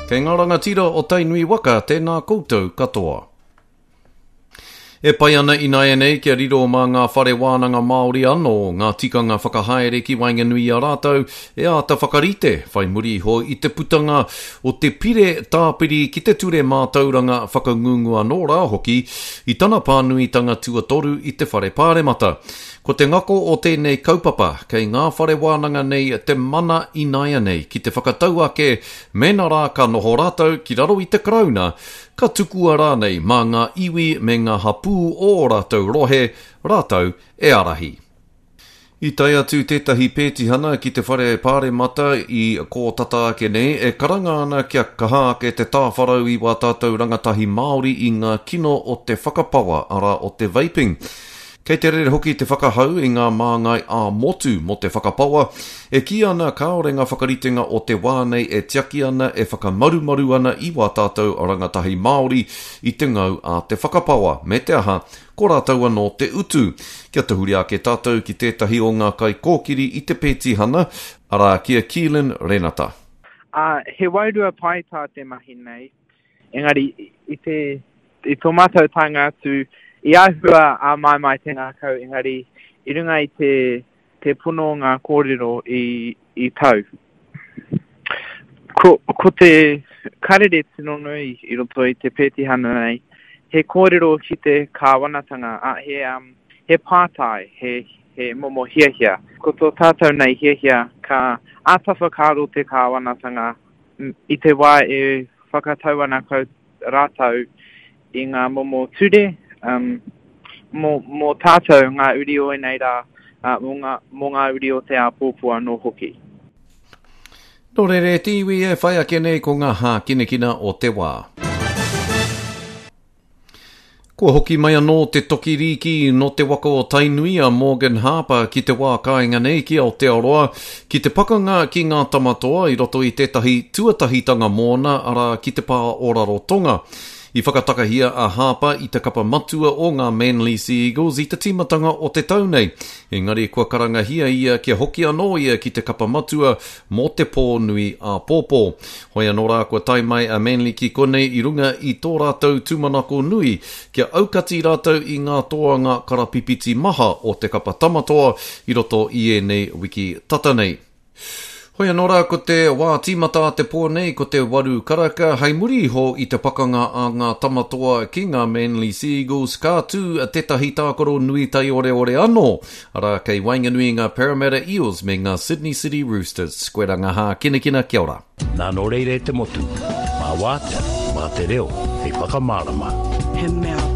Kei ngā rangatira o Tainui waka, tēnā koutou katoa. E pai ana ināianei kia riro mā ngā whare wānanga Māori anō ngā tikanga whakahaere ki waenganui i a rātou e āta whakarite whai muri iho i te putanga o te pire tāpiri ki te Ture Mātauranga Whakangungu anō rā hoki i tana pānuitanga tuatoru i te Whare Pāremata. Ko te ngako o tēnei kaupapa, kei ngā whare wānanga nei te mana ināianei ki te whakatau ake mēnā rā ka noho rātou ki raro i te Karauna, ka tukua rānei mā ngā iwi me ngā hapū o ō rātou rohe rātou e ārahi. I tae atu tētahi pētihana ki te whare pāremata i kō tata ake nei e karanga ana kia kaha ake te tāwharau i wā tātou rangatahi Māori i ngā kino o te whakapawa, arā, o te vaping. Kei te rere hoki te whakahau i ngā māngai ā-motu mō te whakapawa, e kī ana kāore ngā whakaritenga o te wā nei e tiaki ana, e whakamarumaru ana i wā tātou rangatahi Māori i te ngau a te whakapawa, me te aha, ko rātou anō te utu. Kia tahuri ake tātou ki tētahi o ngā kaikōkiri i te pētihana, arā, ki a Keelan Renata. Ā, he wairua pai tā te mahi nei, Engari, i te, i tō mātou taenga atu, i āhua āmaimai te ngākau, engari, i runga i te, te pono o ngā kōrero i, i tau. Ko, ko te karere tino nui i roto i te pētihana nei, he kōrero ki te kāwanatanga, ā, he, um, he pātai, he, he momo hiahia. Ko tō tātou nei hiahia, ka āta whakaaro te kāwanatanga i te wā e whakatau ana kau rātou i ngā momo ture, um, mō, mō tātou ngā uri o ēnei rā, uh, mō, ngā, mō ngā uri o te āpōpō anō hoki. Nō reira e te iwi e whai ake nei ko ngā hākinakina o te wā. Kua hoki mai anō te toki rīki nō te waka o Tainui a Morgan Harper ki te wā kāinga nei ki Aotearoa, ki te pakanga ki ngā Tamatoa i roto i tētahi tuatahitanga mōna, arā, ki te pā o Rarotonga. I whakatakahia a Harper i te kapa matua o ngā Manly Sea Eagles i te tīmatanga o te tau nei, engari kua karangahia ia kia hoki anō ia ki te kapa matua mō te pō nui āpōpō. Hoi anō rā kua tae mai a Manly ki konei i runga i tō rātou tūmanako nui kia aukati rātou i ngā toanga karapipiti maha o te kapa Tamatoa i roto i ēnei wiki tata nei. Hoi anō rā ko te wā tīmata a te pō nei ko te waru karaka hei muri iho i te pakanga a ngā Tamatoa ki ngā Manly Sea Eagles ka tū tētahi tākaro nui taioreore anō arā kei waenganui i ngā Parramatta Eels me ngā Sydney City Roosters. Koirā ngā hākinakina, kia ora. Nā nō reira e te motu, mā Wātea, mā te reo, hei whakamārama. He mea.